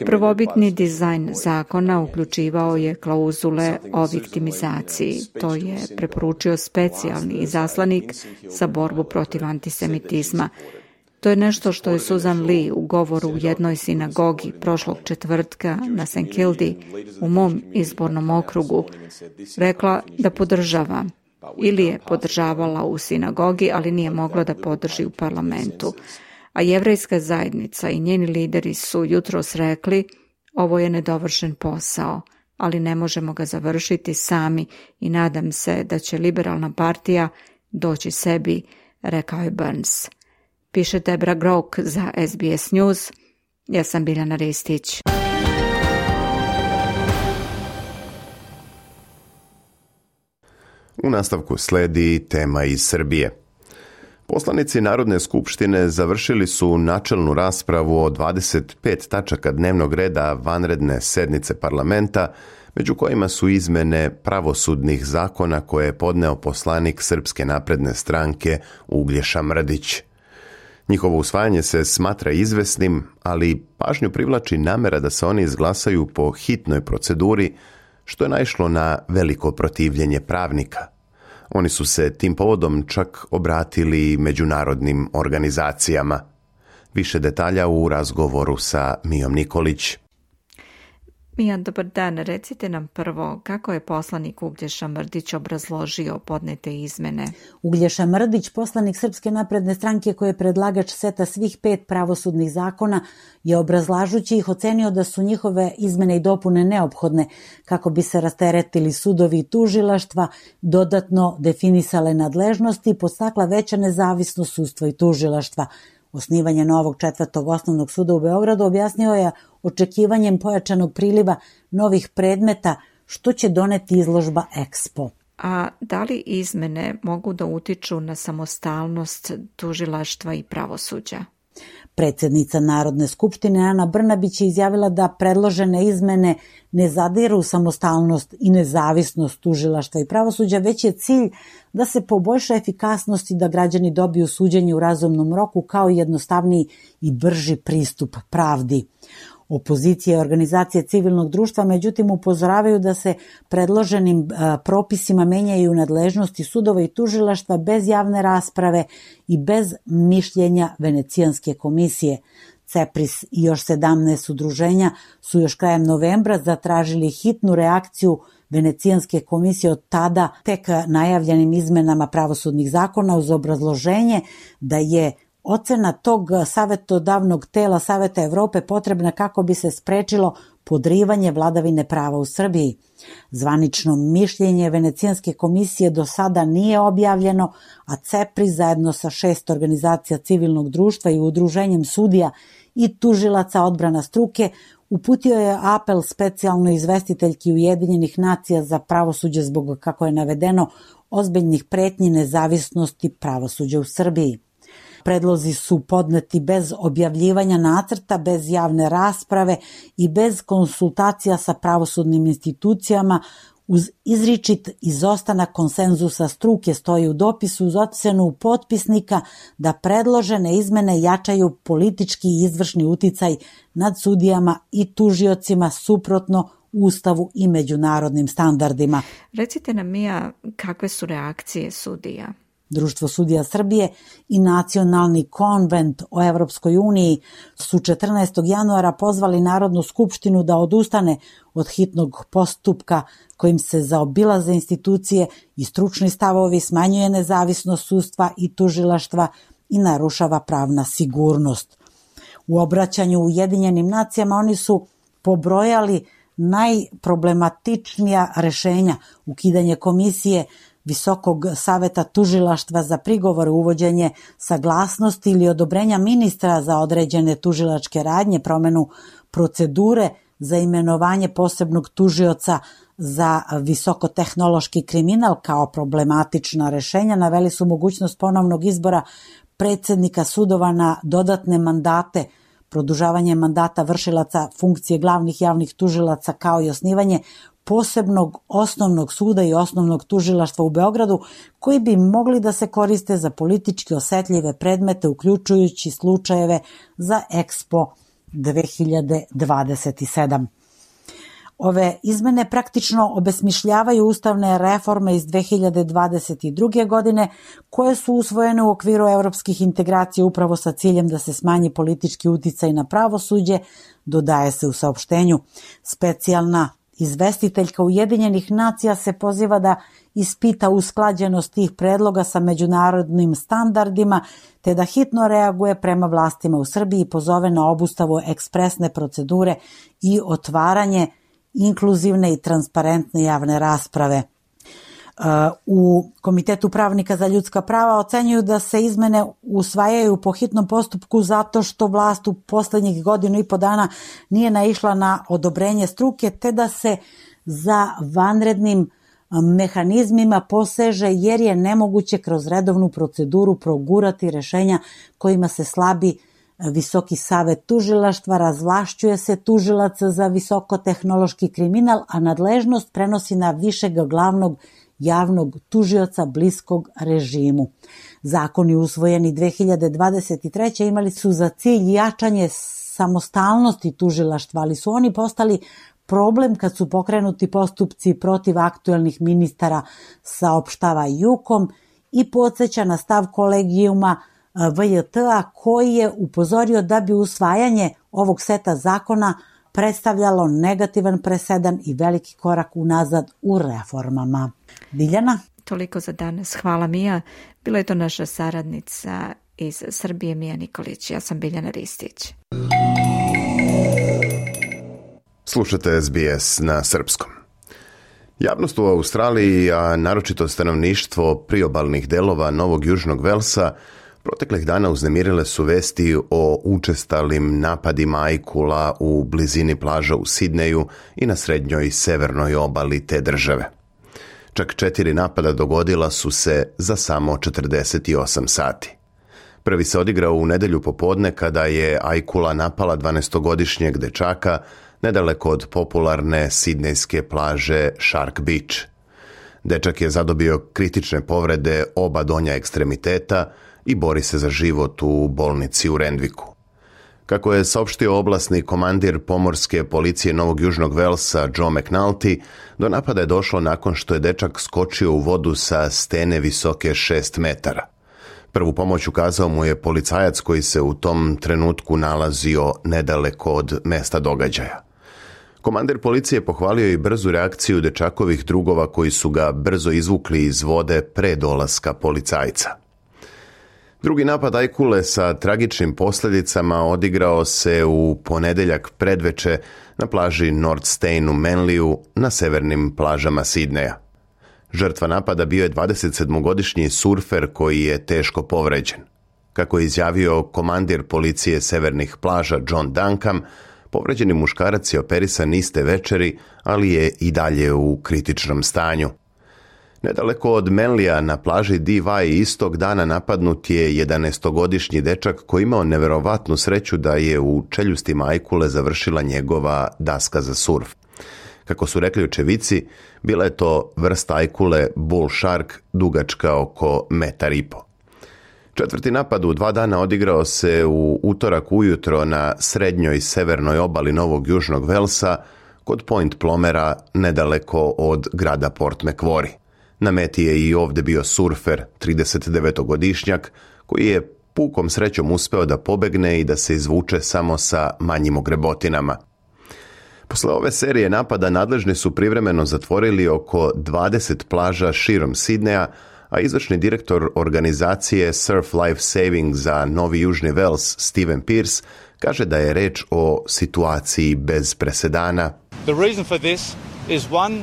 Prvobitni dizajn zakona uključivao je klauzule o viktimizaciji. To je preporučio specijalni izaslanik za borbu protiv antisemitizma. To je nešto što je Susan Lee u govoru u jednoj sinagogi prošlog četvrtka na St. Kildi u mom izbornom okrugu rekla da podržava. Ili je podržavala u sinagogi, ali nije mogla da podrži u parlamentu. A jevrejska zajednica i njeni lideri su jutros rekli: ovo je nedovršen posao, ali ne možemo ga završiti sami i nadam se da će liberalna partija doći sebi, rekao je Burns. Piše Debra Grok za SBS News. Ja sam Biljana Ristić. U nastavku sledi tema iz Srbije. Poslanici Narodne skupštine završili su načelnu raspravu o 25 tačaka dnevnog reda vanredne sednice parlamenta, među kojima su izmene pravosudnih zakona koje je podneo poslanik Srpske napredne stranke Uglješa Mrdić. Njihovo usvajanje se smatra izvesnim, ali pažnju privlači namera da se oni izglasaju po hitnoj proceduri, što je naišlo na veliko protivljenje pravnika. Oni su se tim povodom čak obratili međunarodnim organizacijama. Više detalja u razgovoru sa Mijom Nikolić. Mija, dobar dan. Recite nam prvo kako je poslanik Uglješa Mrdić obrazložio podnete izmene. Uglješa Mrdić, poslanik Srpske napredne stranke koji je predlagač seta svih 5 pravosudnih zakona, je obrazlažući ih ocenio da su njihove izmene i dopune neophodne kako bi se rasteretili sudovi i tužilaštva, dodatno definisale nadležnosti i podstakla veća nezavisnost sudstva i tužilaštva. Osnivanje novog 4. osnovnog suda u Beogradu objasnio je očekivanjem pojačanog priliva novih predmeta, što će doneti izložba Expo. A da li izmene mogu da utiču na samostalnost tužilaštva i pravosuđa? Predsjednica Narodne skupštine Ana Brnabić je izjavila da predložene izmene ne zadiru u samostalnost i nezavisnost tužilaštva i pravosuđa, već je cilj da se poboljša efikasnost i da građani dobiju suđenje u razumnom roku kao jednostavniji i brži pristup pravdi. Opozicija i organizacije civilnog društva međutim upozoravaju da se predloženim propisima menjaju nadležnosti sudova i tužilaštva bez javne rasprave i bez mišljenja Venecijanske komisije. CEPRIS i još 17 udruženja su još krajem novembra zatražili hitnu reakciju Venecijanske komisije od tada tek najavljenim izmenama pravosudnih zakona uz obrazloženje da je ocena tog savjetodavnog tela Saveta Evrope potrebna kako bi se sprečilo podrivanje vladavine prava u Srbiji. Zvanično mišljenje Venecijanske komisije do sada nije objavljeno, a CEPRIS zajedno sa 6 organizacija civilnog društva i udruženjem sudija i tužilaca odbrana struke uputio je apel specijalnoj izvestiteljki Ujedinjenih nacija za pravosuđe zbog, kako je navedeno, ozbiljnih pretnji nezavisnosti pravosuđa u Srbiji. Predlozi su podneti bez objavljivanja nacrta, bez javne rasprave i bez konsultacija sa pravosudnim institucijama, uz izričit izostanak konsenzusa struke, stoji u dopisu uz ocenu potpisnika da predložene izmene jačaju politički i izvršni uticaj nad sudijama i tužiocima suprotno Ustavu i međunarodnim standardima. Recite nam, Mija, kakve su reakcije sudija? Društvo sudija Srbije i Nacionalni konvent o Evropskoj uniji su 14. januara pozvali Narodnu skupštinu da odustane od hitnog postupka kojim se zaobilaze institucije i stručni stavovi, smanjuje nezavisnost sudstva i tužilaštva i narušava pravna sigurnost. U obraćanju Ujedinjenim nacijama oni su pobrojali najproblematičnija rešenja: ukidanje komisije Visokog saveta tužilaštva za prigovore, uvođenje saglasnosti ili odobrenja ministra za određene tužilačke radnje, promenu procedure za imenovanje posebnog tužioca za visokotehnološki kriminal kao problematična rešenja. Naveli su mogućnost ponovnog izbora predsjednika sudova na dodatne mandate, produžavanje mandata vršilaca funkcije glavnih javnih tužilaca, kao i osnivanje posebnog osnovnog suda i osnovnog tužilaštva u Beogradu, koji bi mogli da se koriste za politički osetljive predmete, uključujući slučajeve za Expo 2027. Ove izmene praktično obesmišljavaju ustavne reforme iz 2022. godine, koje su usvojene u okviru evropskih integracija upravo sa ciljem da se smanji politički uticaj na pravosuđe, dodaje se u saopštenju. Specijalna izvestiteljka Ujedinjenih nacija se poziva da ispita usklađenost tih predloga sa međunarodnim standardima, te da hitno reaguje prema vlastima u Srbiji i pozove na obustavu ekspresne procedure i otvaranje inkluzivne i transparentne javne rasprave. U Komitetu pravnika za ljudska prava ocenjuju da se izmene usvajaju po hitnom postupku zato što vlast u poslednjih 1.5 dana nije naišla na odobrenje struke, te da se za vanrednim mehanizmima poseže jer je nemoguće kroz redovnu proceduru progurati rešenja kojima se slabi Visoki savet tužilaštva, razvlašćuje se tužilac za visokotehnološki kriminal, a nadležnost prenosi na višeg glavnog javnog tužioca bliskog režimu. Zakoni usvojeni 2023. imali su za cilj jačanje samostalnosti tužilaštva, ali su oni postali problem kad su pokrenuti postupci protiv aktuelnih ministara, saopštava JUKOM i podsjeća na stav kolegijuma VJT-a koji je upozorio da bi usvajanje ovog seta zakona predstavljalo negativan presedan i veliki korak unazad u reformama. Biljana? Toliko za danas. Hvala Mija. Bila je to naša saradnica iz Srbije, Mija Nikolić. Ja sam Biljana Ristić. Slušate SBS na srpskom. Javnost u Australiji, a naročito stanovništvo priobalnih delova Novog Južnog Velsa, proteklih dana uznemirile su vesti o učestalim napadima ajkula u blizini plaža u Sidneju i na srednjoj i severnoj obali te države. Čak 4 napada dogodila su se za samo 48 sati. Prvi se odigrao u nedelju popodne kada je ajkula napala 12-godišnjeg dečaka nedaleko od popularne sidnejske plaže Shark Beach. Dečak je zadobio kritične povrede oba donja ekstremiteta i bori se za život u bolnici u Randvicku. Kako je saopštio oblasni komandir pomorske policije Novog Južnog Velsa Joe McNulty, do napada je došlo nakon što je dečak skočio u vodu sa stene visoke 6 metara. Prvu pomoć ukazao mu je policajac koji se u tom trenutku nalazio nedaleko od mesta događaja. Komandir policije pohvalio i brzu reakciju dečakovih drugova koji su ga brzo izvukli iz vode pre dolaska policajca. Drugi napad ajkule sa tragičnim posljedicama odigrao se u ponedeljak predveče na plaži North Steyne u Manliju na severnim plažama Sidneja. Žrtva napada bio je 27-godišnji surfer koji je teško povređen. Kako je izjavio komandir policije severnih plaža John Duncan, povređeni muškarac je operisan iste večeri, ali je i dalje u kritičnom stanju. Nedaleko od Manlija na plaži Dee istog dana napadnut je 11-godišnji dečak koji imao neverovatnu sreću da je u čeljustima ajkule završila njegova daska za surf. Kako su rekli očevici, bila je to vrsta ajkule bull shark dugačka oko 1,5 metra. Četvrti napad u 2 dana odigrao se u utorak ujutro na srednjoj i severnoj obali Novog Južnog Velsa kod Point Plomera nedaleko od grada Port Macquarie. Na meti je i ovdje bio surfer, 39-godišnjak, koji je pukom srećom uspeo da pobegne i da se izvuče samo sa manjim ogrebotinama. Posle ove serije napada nadležni su privremeno zatvorili oko 20 plaža širom Sidneja, a izvršni direktor organizacije Surf Life Saving za Novi Južni Vels, Steven Pearce, kaže da je reč o situaciji bez presedana. The reason for this is one,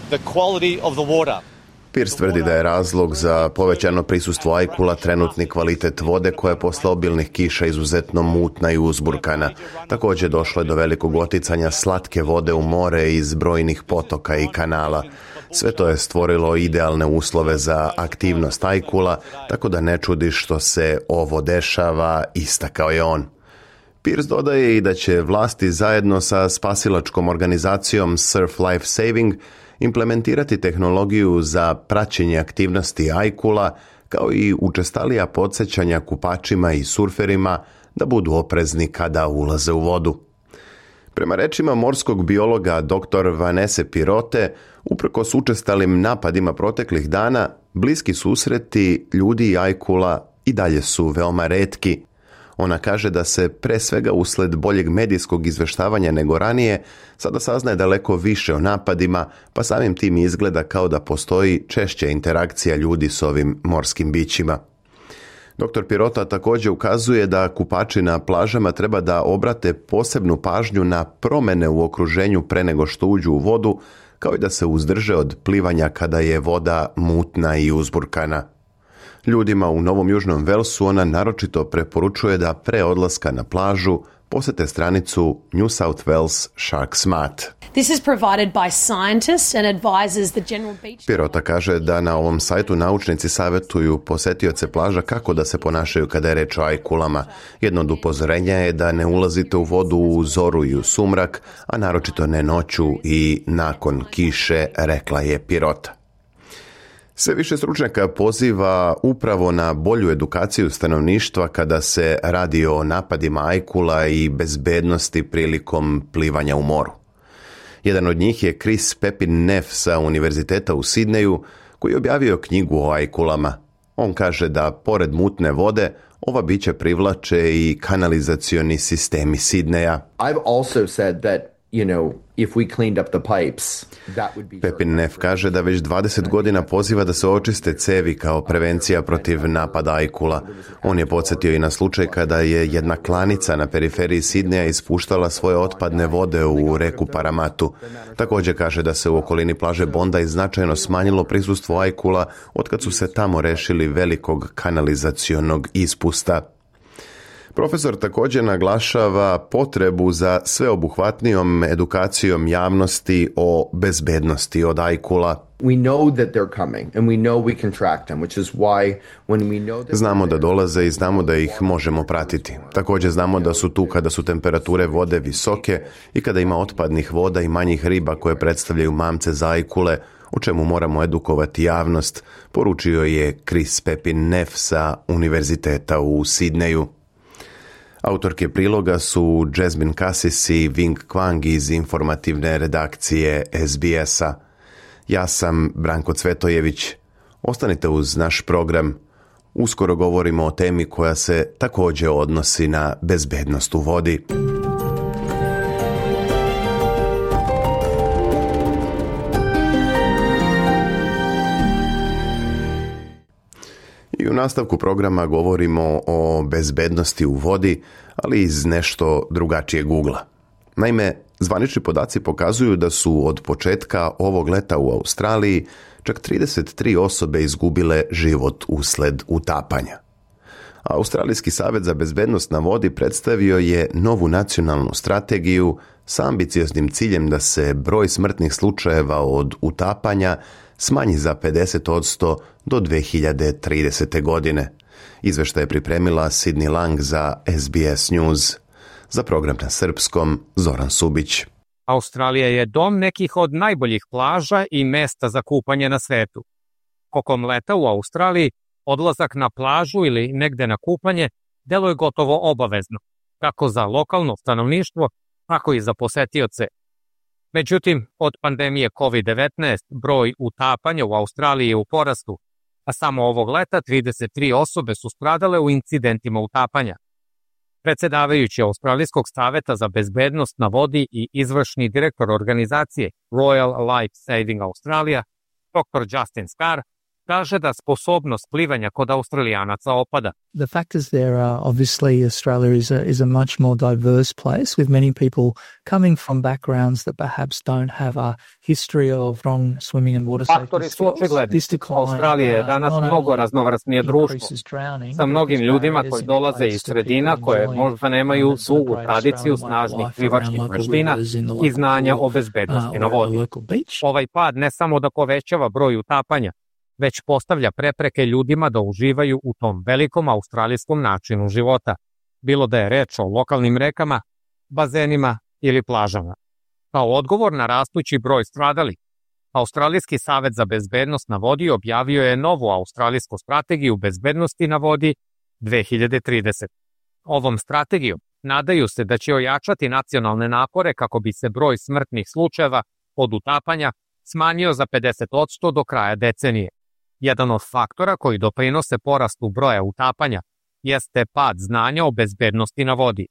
the quality of the water. Pearce tvrdi da je razlog za povećano prisustvo ajkula trenutni kvalitet vode koja je posle obilnih kiša izuzetno mutna i uzburkana. Također došlo je do velikog oticanja slatke vode u more iz brojnih potoka i kanala. Sve to je stvorilo idealne uslove za aktivnost ajkula, tako da ne čudi što se ovo dešava, istakao je on. Pearce dodaje i da će vlasti zajedno sa spasilačkom organizacijom Surf Life Saving implementirati tehnologiju za praćenje aktivnosti ajkula, kao i učestalija podsjećanja kupačima i surferima da budu oprezni kada ulaze u vodu. Prema rečima morskog biologa dr. Vanesse Pirote, uprkos učestalim napadima proteklih dana, bliski susreti ljudi i ajkula i dalje su veoma retki. Ona kaže da se pre svega usled boljeg medijskog izveštavanja nego ranije sada saznaje daleko više o napadima, pa samim tim izgleda kao da postoji češća interakcija ljudi s ovim morskim bićima. Dr. Pirota također ukazuje da kupači na plažama treba da obrate posebnu pažnju na promene u okruženju pre nego što uđu u vodu, kao i da se uzdrže od plivanja kada je voda mutna i uzburkana. Ljudima u Novom Južnom Velsu ona naročito preporučuje da pre odlaska na plažu posete stranicu New South Wales Shark Smart. This is provided by scientists and advises the general beach. Pirota kaže da na ovom sajtu naučnici savjetuju posetioce plaža kako da se ponašaju kada je reč o ajkulama. Jedno od upozorenja je da ne ulazite u vodu u zoru i u sumrak, a naročito ne noću i nakon kiše, rekla je Pirota. Sve više stručnjaka poziva upravo na bolju edukaciju stanovništva kada se radi o napadima ajkula i bezbednosti prilikom plivanja u moru. Jedan od njih je Chris Pepin Neff sa Univerziteta u Sidneju, koji je objavio knjigu o ajkulama. On kaže da, pored mutne vode, ova bića privlače i kanalizacioni sistemi Sidneja. I've also said that, if we cleaned up the pipes, that would be... Pepin Neff kaže da već 20 godina poziva da se očiste cevi kao prevencija protiv napada ajkula. On je podsjetio i na slučaj kada je jedna klanica na periferiji Sidneja ispuštala svoje otpadne vode u reku Paramatu. Također kaže da se u okolini plaže Bondi značajno smanjilo prisustvo ajkula otkad su se tamo rešili velikog kanalizacionog ispusta. Profesor također naglašava potrebu za sveobuhvatnijom edukacijom javnosti o bezbednosti od ajkula. Znamo da dolaze i znamo da ih možemo pratiti. Također znamo da su tu kada su temperature vode visoke i kada ima otpadnih voda i manjih riba koje predstavljaju mamce za ajkule, o čemu moramo edukovati javnost, poručio je Chris Pepin Neff sa Univerziteta u Sidneju. Autorke priloga su Jasmine Cassis i Wing Kwang iz informativne redakcije SBS-a. Ja sam Branko Cvetojević. Ostanite uz naš program. Uskoro govorimo o temi koja se također odnosi na bezbednost u vodi. I u nastavku programa govorimo o bezbednosti u vodi, ali iz nešto drugačijeg ugla. Naime, zvanični podaci pokazuju da su od početka ovog leta u Australiji čak 33 osobe izgubile život usled utapanja. Australijski savez za bezbednost na vodi predstavio je novu nacionalnu strategiju sa ambicioznim ciljem da se broj smrtnih slučajeva od utapanja smanji za 50% do 2030. godine. Izveštaj je pripremila Sydney Lang za SBS News. Za program na srpskom, Zoran Subić. Australija je dom nekih od najboljih plaža i mesta za kupanje na svetu. Tokom leta u Australiji odlazak na plažu ili negde na kupanje deluje gotovo obavezno, kako za lokalno stanovništvo, tako i za posetioce. Međutim, od pandemije COVID-19 broj utapanja u Australiji je u porastu, a samo ovog leta 33 osobe su stradale u incidentima utapanja. Predsjedavajući Australijskog saveta za bezbednost na vodi i izvršni direktor organizacije Royal Life Saving Australia, dr. Justin Scarr, kaže da sposobnost plivanja kod Australijanaca opada. The fact is there obviously Australia is a much more diverse place with many people coming from backgrounds that perhaps don't have a history of strong swimming and water safety. Faktori su očigledni. Australija je danas mnogo raznovrsnije društvo sa mnogim ljudima koji dolaze iz sredina koje možda nemaju dugu tradiciju snažnih plivačkih veština i znanja o bezbednosti na vodi. Ovaj pad ne samo da povećava broj utapanja, već postavlja prepreke ljudima da uživaju u tom velikom australijskom načinu života, bilo da je reč o lokalnim rekama, bazenima ili plažama. Kao odgovor na rastući broj stradalih, Australijski savez za bezbednost na vodi objavio je novu australijsku strategiju bezbednosti na vodi 2030. Ovom strategijom nadaju se da će ojačati nacionalne napore kako bi se broj smrtnih slučajeva od utapanja smanjio za 50% do kraja decenije. Jedan od faktora koji doprinose porastu broja utapanja jeste pad znanja o bezbednosti na vodi,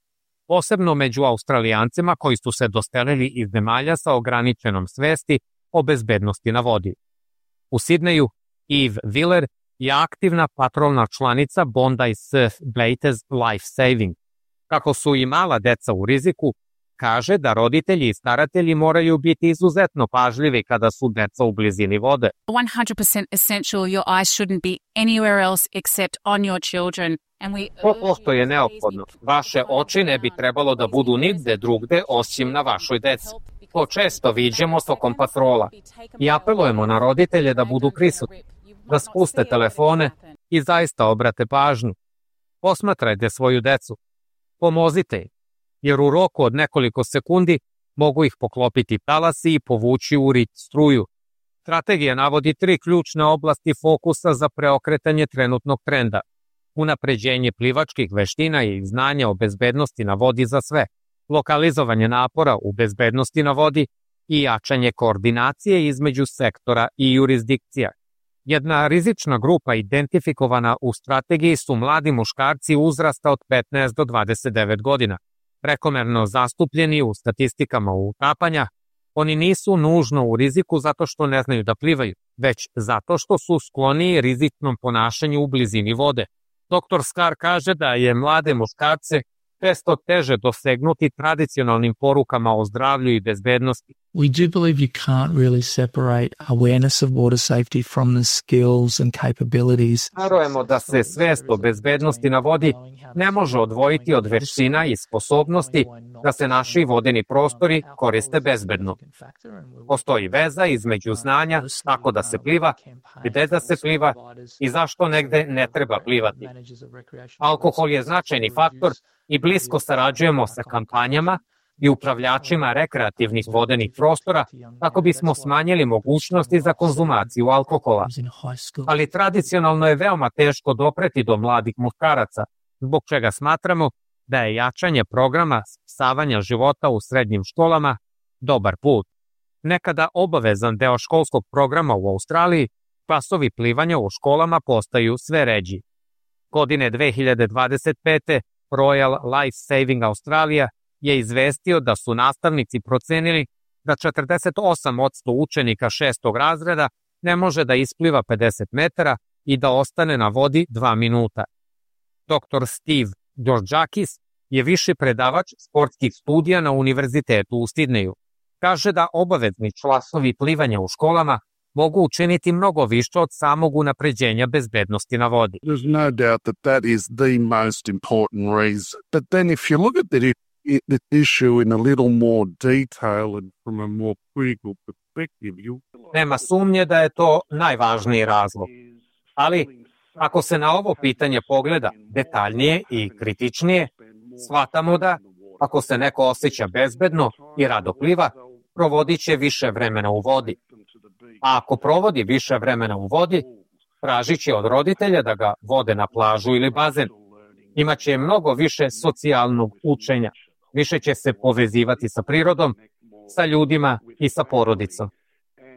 posebno među Australijancima koji su se doselili iz zemalja sa ograničenom svesti o bezbednosti na vodi. U Sidneju Eve Willer je aktivna patrolna članica Bondi Surf Blates Life Saving. Kako su i mala deca u riziku, kaže da roditelji i staratelji moraju biti izuzetno pažljivi kada su deca u blizini vode. 100% essential. Your eyes shouldn't be anywhere else except on your children. Pošto je neophodno. Vaše oči ne bi trebalo da budu nigde drugde osim na vašoj deci. To često viđemo tokom patrola i apelujemo na roditelje da budu prisutni, da spuste telefone i zaista obrate pažnju. Posmatrajte svoju decu. Pomozite im, jer u roku od nekoliko sekundi mogu ih poklopiti talasi i povući u rit struju. Strategija navodi 3 ključne oblasti fokusa za preokretanje trenutnog trenda. Unapređenje plivačkih veština i znanja o bezbednosti na vodi za sve, lokalizovanje napora u bezbednosti na vodi i jačanje koordinacije između sektora i jurisdikcija. Jedna rizična grupa identifikovana u strategiji su mladi muškarci uzrasta od 15 do 29 godina. Prekomerno zastupljeni u statistikama utapanja, oni nisu nužno u riziku zato što ne znaju da plivaju, već zato što su skloniji rizičnom ponašanju u blizini vode. Dr. Skar kaže da je mlade muškarce često teže dosegnuti tradicionalnim porukama o zdravlju i bezbednosti. We do believe you can't really separate awareness of water safety from the skills and capabilities. Verujemo da se svest o bezbednosti na vodi ne može odvojiti od veština i sposobnosti da se naši vodeni prostori koriste bezbedno. Postoji veza između znanja kako da se pliva, gde da se pliva i zašto negde ne treba plivati. Alkohol je značajni faktor i blisko sarađujemo sa kampanjama i upravljačima rekreativnih vodenih prostora kako bismo smanjili mogućnosti za konzumaciju alkohola. Ali tradicionalno je veoma teško dopreti do mladih muškaraca, zbog čega smatramo da je jačanje programa spasavanja života u srednjim školama dobar put. Nekada obavezan deo školskog programa u Australiji, klasovi plivanja u školama postaju sve ređi. Godine 2025. Royal Life Saving Australia je izvestio da su nastavnici procenili da 48% učenika 6. razreda ne može da ispliva 50 metara i da ostane na vodi 2 minuta. Dr. Steve Georgakis je viši predavač sportskih studija na Univerzitetu u Sidneju. Kaže da obavezni časovi plivanja u školama mogu učiniti mnogo više od samog unapređenja bezbednosti na vodi. There's no doubt that that is the most important reason. But then if you look at the issue in a little more detail and from a more critical perspective, Nema sumnje da je to najvažniji razlog. Ali ako se na ovo pitanje pogleda detaljnije i kritičnije, shvatamo da ako se neko osjeća bezbedno i rado pliva, provodit će više vremena u vodi. A ako provodi više vremena u vodi, tražit će od roditelja da ga vode na plažu ili bazen. Imaće mnogo više socijalnog učenja, više će se povezivati sa prirodom, sa ljudima i sa porodicom.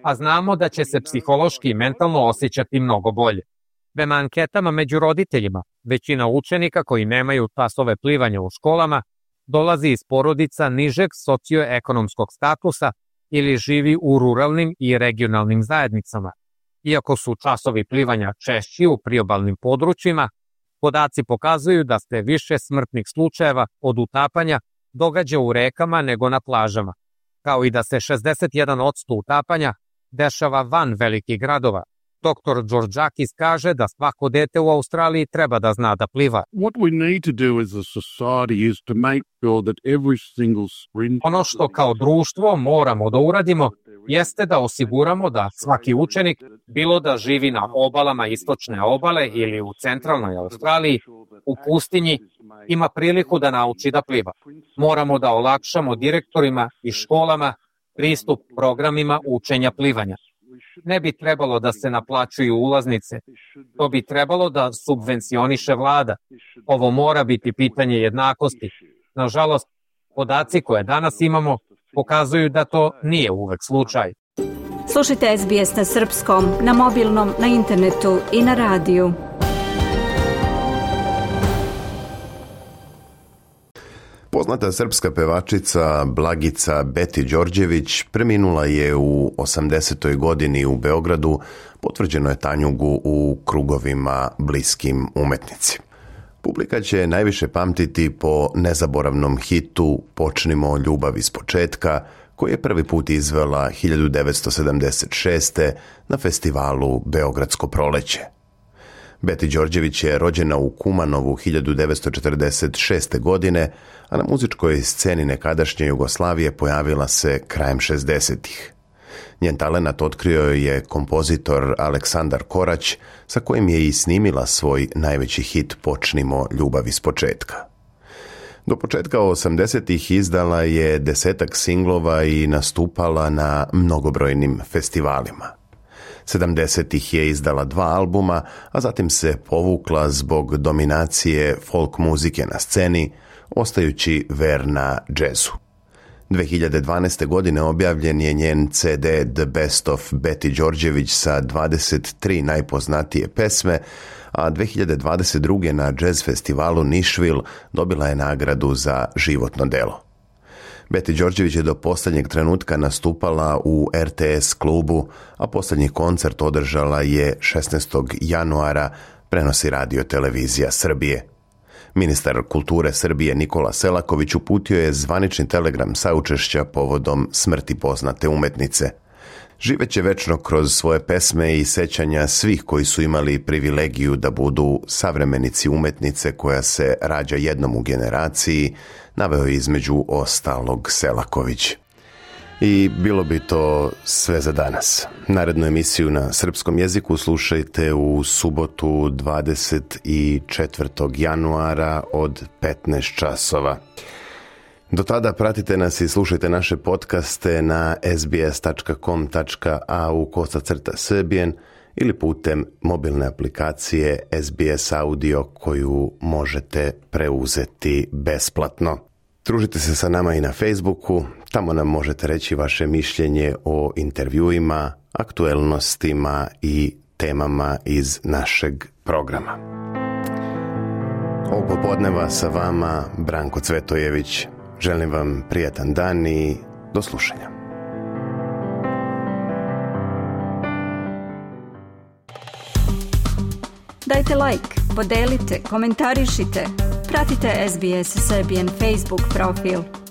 A znamo da će se psihološki i mentalno osjećati mnogo bolje. Prema anketama među roditeljima, većina učenika koji nemaju časove plivanja u školama dolazi iz porodica nižeg socioekonomskog statusa ili živi u ruralnim i regionalnim zajednicama. Iako su časovi plivanja češći u priobalnim područjima, podaci pokazuju da se više smrtnih slučajeva od utapanja događa u rekama nego na plažama, kao i da se 61% utapanja dešava van velikih gradova. Dr. Georgakis kaže da svako dete u Australiji treba da zna da pliva. What we need to do as a society is to make sure that every single sprint... Ono što kao društvo moramo da uradimo jeste da osiguramo da svaki učenik, bilo da živi na obalama istočne obale ili u centralnoj Australiji, u pustinji, ima priliku da nauči da pliva. Moramo da olakšamo direktorima i školama pristup programima učenja plivanja. Ne bi trebalo da se naplaćuju ulaznice, to bi trebalo da subvencioniše vlada. Ovo mora biti pitanje jednakosti. Nažalost, podaci koje danas imamo pokazuju da to nije uvek slučaj. Slušajte SBS na srpskom, na mobilnom, na internetu i na radiju. Poznata srpska pevačica Blagica Beti Đorđević preminula je u 80. godini u Beogradu, potvrđeno je tanjugu u krugovima bliskim umetnici. Publika će najviše pamtiti po nezaboravnom hitu Počnimo ljubav iz početka, koji je prvi put izvela 1976. na festivalu Beogradsko proleće. Beti Đorđević je rođena u Kumanovu 1946. godine, a na muzičkoj sceni nekadašnje Jugoslavije pojavila se krajem 60-ih. Njen talenat otkrio je kompozitor Aleksandar Korać, sa kojim je i snimila svoj najveći hit Počnimo ljubav iz početka. Do početka 80-ih izdala je 10-ak singlova i nastupala na mnogobrojnim festivalima. 70-ih je izdala 2 albuma, a zatim se povukla zbog dominacije folk muzike na sceni, ostajući verna džezu. 2012. godine objavljen je njen CD The Best of Beti Đorđević sa 23 najpoznatije pesme, a 2022. na jazz festivalu Nashville dobila je nagradu za životno delo. Beti Đorđević je do posljednjeg trenutka nastupala u RTS klubu, a posljednji koncert održala je 16. januara, prenosi Radio Televizija Srbije. Ministar kulture Srbije Nikola Selaković uputio je zvanični telegram saučešća povodom smrti poznate umetnice. Živeće večno kroz svoje pesme i sećanja svih koji su imali privilegiju da budu savremenici umetnice koja se rađa jednom u generaciji, naveo je između ostalog Selaković. I bilo bi to sve za danas. Narednu emisiju na srpskom jeziku slušajte u subotu 24. januara od 15 časova. Do tada pratite nas i slušajte naše podcaste na sbs.com.au/srbijen ili putem mobilne aplikacije SBS Audio koju možete preuzeti besplatno. Družite se sa nama i na Facebooku, tamo nam možete reći vaše mišljenje o intervjuima, aktuelnostima i temama iz našeg programa. Ovog popodneva sa vama Branko Cvetojević. Želim vam prijatan dan i do slušanja. Dajte like, podelite, komentarišite. Pratite SBS Serbian Facebook profil.